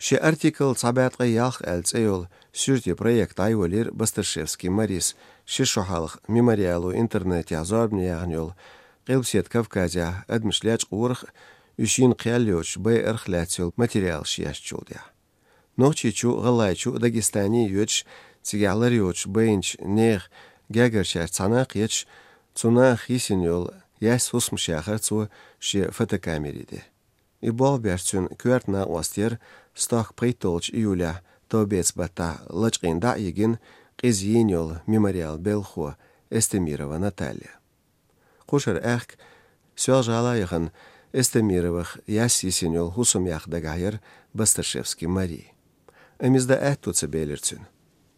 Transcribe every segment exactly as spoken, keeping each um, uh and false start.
Ши артикл «Цхьа бӀаь ткъе ялх» аьлла цӀе йолу суьртийн проект дӀайолийра Басташевский Марис ши шо хьалха «Мемориало» интернетехь зорбане яьхна йолу Къилбаседа Кавказехь адамаш лечкъорах а, уьш йина кхел йоцуш байарх а лаьцна йолу материалаш ешначул тӀаьхьа. Нохчийчу, ГӀалгӀайчу, Дагестане йоьдуш, цигахь лар йоцуш байначу нехан гергарчаьрца цхьаьна кхеташ, цу наха йисина йолу яьсса хӀусамаш яхара цо шен фотокамери тӀе. И болх беш цуьнан коьрта накъост яра стохка пхийтталгӀачу июлехь, товбеца баттахь лачкъийна дӀа а йигина, къиза йийна йолу «Мемориалан» белхахо Эстемирова Наталья. Кхушара аьхка Соьлжа-ГӀала яхана Эстемировах яьсса йисина йолу хӀусамех дагахь яра Басташевский Мари. Амма иза дан аьтто ца белира цуьнан.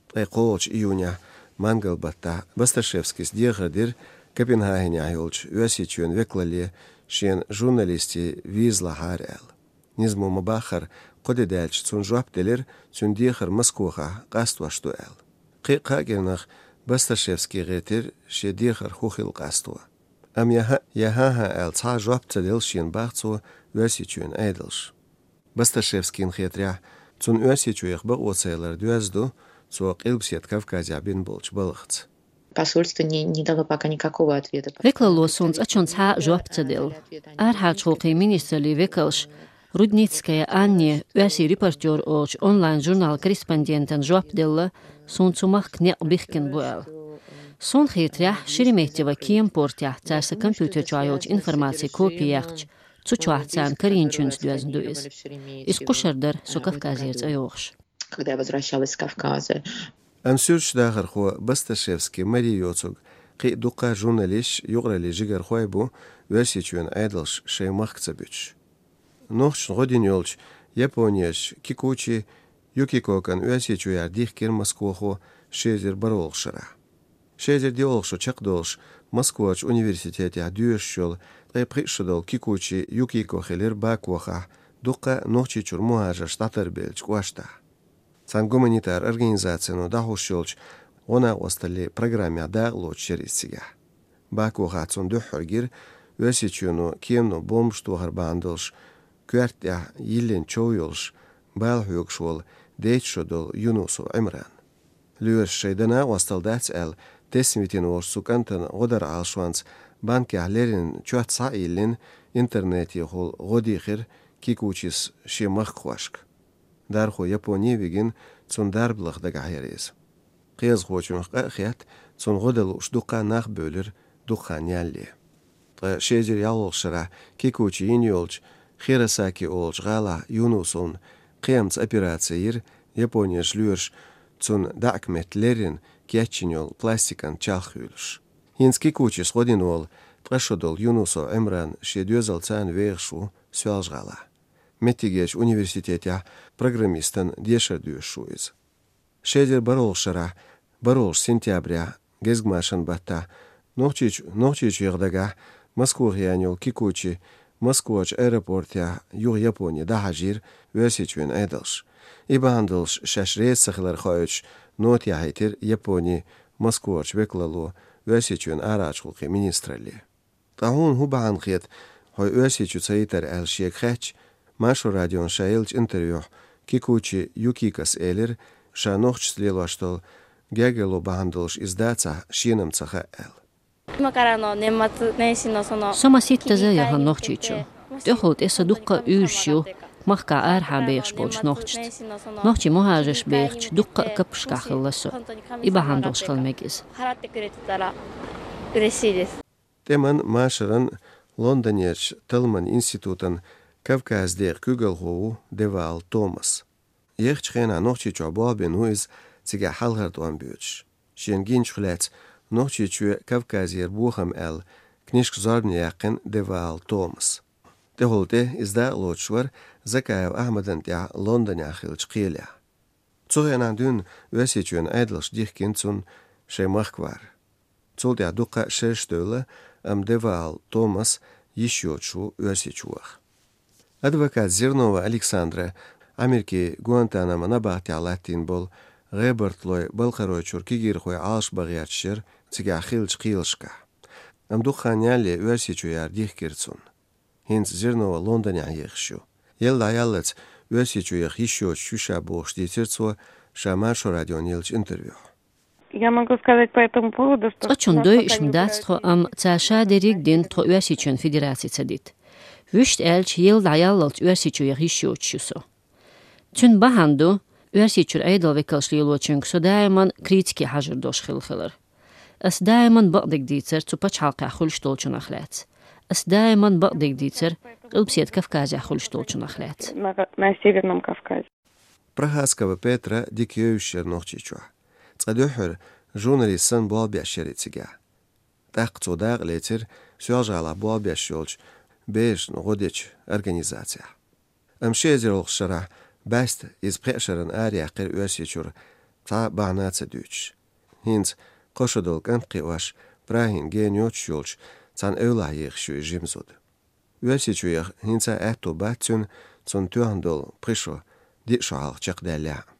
Ткъе кхоалгӀачу июнехь мангал баттахь Басташевскийс дехар дира Копенгагенехь йолчу Оьрсийчоьнан векалалле шена журналистийн виза лахьара аьлла. Низамо ма-баххара, кхо де даьлча цунна жоп делира, цуьнан дехар Москвахь къастош ду аьлла. Кхин а кхаа кӀирнах Басташевский гӀиртира шен дехар хӀун хила къасто. Амма я хӀаъ, я хӀан-хӀа аьлла цхьа а жоп ца делла шена бах цо Оьрсийчоьнан Ӏедалша. Басташевскийна хетарехь, цунна Оьрсийчу яха бакъо ца ялар доьзна ду цо Къилбаседа Кавказехь бина болчу балхаца. Посольство не, не дало пока никакого ответа. Векалло суна цкъачунна цхьа а жоп ца делла. Арахьарчу гӀуллакхийн министраллин векалша Рудницкая Анне «Оьрсийн репортёр» олучу онлайн-журналан корреспондентана жоп делла, суна цу махка некъ бихкина бу аьлла. Суна хетарехь, Шереметьево кеман портехь цара сан компьютер чохь йолчу информацин копи яьккхича, цу чохь царна карийначуьнца доьзна ду иза. Иза кхушара дара, со Кавказера цӀа йохуш. Когда я возвращалась с Кавказа. Амма суьрташ дахархо Басташевский Мари йоцург кхин а дуккха а журналисташ, юкъараллин жигархой бу Оьрсийчоьнан Ӏедалша шайн махка ца буьтуш. Нохчашна гӀо дина йолчу японерчу Кикучи Юкикокан Оьрсийчоьнара дихкира Москвахо ши эзар бархӀолгӀачу шарахь. Ши эзар диъолгӀа шо чекхдолуш, Москварчу университетехь доьшуш йолу ткъе пхиъ шо долу Кикучи Юкико хилира Бакохахь, дуккха а Нохчийчуьра мухӀажарш дӀатарбеллачу кӀоштахь. Цхьана гуманитар организацино дӀахьош йолчу гӀо-накъосталлин программехь дакъалоцуш яра иза цигахь. Бакохахь цунна дуьххьара гира Оьрсийчоьно кемано бомбаш тохар бахьана долуш, коьрта тӀехь йиллина чов йолуш, бала хьоьгуш волу дейтта шо долу Юнусов Ӏимран. Лоьраша шайн дан накъосталла дац аьлла, тесна витина волчу цу кӀантана гӀо даран Ӏалашонца банкехь леррина чот схьа а йиллина, интернетехула гӀо дийхира Кикучис шен махкахошка. Дархо Японе а вигина, цунна дарба лаха дагахь яра иза. Кхиазхочуьнах къа а хетта, цунна гӀо дан лууш дуккха а нах бевлира дукха хан ялале. Ткъа ши эзар ялхолгӀачу шарахь Кикучи йина йолчу Хиросаки олучу гӀалахь Юнусовна кхиамца операци йира, японерчу лоьраша цунна даьӀахк метта леррина кечйина йолу пластикан чалх хуьйлуш. ХӀинца Кикучис гӀо дина волу ткъа шо долу Юнусов Ӏимран шен доьзалца вехаш ву Соьлжа-ГӀалахь. Меттигерчу университетехь программистан дешар доьшуш ву иза. Ши эзар бархӀолгӀачу шарахь, бархӀолгӀачу сентябрехь, гезгмашин баттахь, Нохчийчу-, Нохчийчу яха дагахь Москвахь яьхна йолу Кикучи Москварчу аэропортехь юха Японе дӀахьажийра Оьрсийчоьнан Ӏедалша. И бахьана долуш шаьш реза ца хилар хоуьйтуш, нота яхьийтира Японин Москварчу векалалло Оьрсийчоьнан арахьарчу гӀуллакхийн министралле. Ткъа хьуна хӀун бахьана хета хьо Оьрсийчу ца йитар аьлла шега хаьттича, Маршо радиона ша еллачу интервьюхь Кикучи Юкикос элира, ша нохчашца лелош долу гергарло бахьана долуш иза дацахь, шена-м ца хаьа аьлла. Со масийттаза яхана Нохчийчу. ТӀехула тӀе сан дуккха а уьйраш ю махкахь арахьа бехаш болчу нохчашца. Нохчийн мухӀажарш бехачу дуккха а каппашкахь хилла со. И бахьана долуш хила мега иза. ТӀеман, машаран, Лондонерчу талламан институтан Кавказ декъан куьйгалхо ву Деваал Томас. Ехачу хенахь Нохчийчохь болх бина ву иза, цигахь хьалхара тӀом боьдуш. Шена гиначух лаьцна «Нохчийчоь Кавказера бохам» аьлла книжка зорбане яьккхина Деваал Томас. ТӀехула тӀе иза дакъалоцуш вара Закаев Ахьмадан тӀехь Лондонехь хиллачу кхелехь. Цу хенахь дуьйна Оьрсийчоьнан Ӏедалша дихкина цунна шайн махка вар. Цул тӀаьхьа дуккха а шераш девлла, амма Деваал Томас йиш йоцуш ву Оьрсийчу ваха. Адвокат Зернова Александра Америкин Гуантанамо набахтехь латтийна болу гӀебартхойн Балкхаройчуьра кегийрхой Ӏалашбан гӀерташ яра цигахь хиллачу кхелашкахь. Амма дукха хан ялале Оьрсийчоьнара дихкира цунна. ХӀинца Зернова Лондонехь ехаш ю. Елла дӀаяллалц Оьрсийчу яха йиш йоцуш ю ша бохуш дийцира цо ша Маршо радиона еллачу интервьюхь. Я могу сказать по этому поводу, что... Цкъачун дойуш ма дац тхо, амма ца ша дерриг дина тхо Оьрсийчоьнан Федераци ца дита. Вуьшта аьлча, елла дӀаяллалц Оьрсийчу яха йиш йоцуш ю со. Цуьнан бахьана ду, Оьрсийчуьра Ӏедал векалш лелочуьнга со даиман критике хьажар долуш хилла хилар. Ас даиман бакъдерг дийцар цу пачхьалкхехь хуьлуш долчунах лаьцна. Ас даиман бакъдерг дийцар Къилбаседа Кавказехь хуьлуш долчунах лаьцна. На Северном Кавказе. Прохаскова Петра дика евзаш яра Нохчийчохь. Цкъа дуьххьара журналист санна болх беш яра и цигахь. ТӀаккха цо дакъа лецира Соьлжа-ГӀалахь болх беш йолчу берашна гӀо дечу организацехь. Амма ши эзар йолху шарахь бӀаьста иза пхеа шарна араяьккхира Оьрсийчуьра, цхьа бахьана а ца дуьйцуш. ХӀинца кхо шо долу кӀант кхиош, Прагин гена йоцуш йолчу цхьана эвлахь ехаш ю и жима зуда. Оьрсийчу яха хӀинца а аьтто бац цуьнан, цунна тоьхна долу пхи шо, диъ шо хьалха чекхдаьллехь а.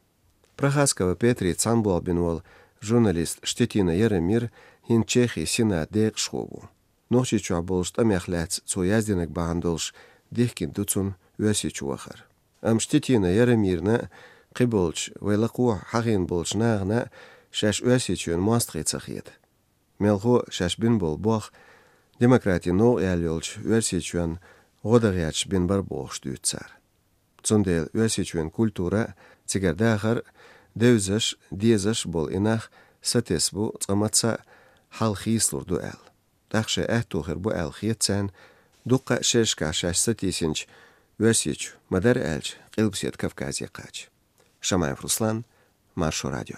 Прохаскова Петри цхьаьна болх бина волу журналист Штетина Яромир хӀинца Чехин Сенатан декъашхо ву. Нохчийчохь болчу тӀамех лаьцна цо яздинарг бахьана долуш дихкина ду цунна Оьрсийчу вахар. Амма Штетина Яромирна а, кхиболчу вай лакхахь хьахийна болчу нахана а шаьш Оьрсийчоьнан мостагӀий ца хета. Мелхо а шаьш бина болу болх демократин новкъа яьлла йолчу Оьрсийчоьнна гӀо дан гӀерташ бина бара бохуш дуьйцу цара. Цундела Оьрсийчоьнан культура а, цигара дахар а, девзаш а, дезаш а болу и нах сатесна бу, цкъа мацца а хьал хийцалур ду аьлла. ТӀаккха шайн аьтто хир бу аьлла хета царна, дуккха а шерашкахь шаьш сатийсинчу Оьрсийчу, ма-дарра аьлча, Къилбаседа Кавказе кхача. Шамаев Руслан, Маршо радио.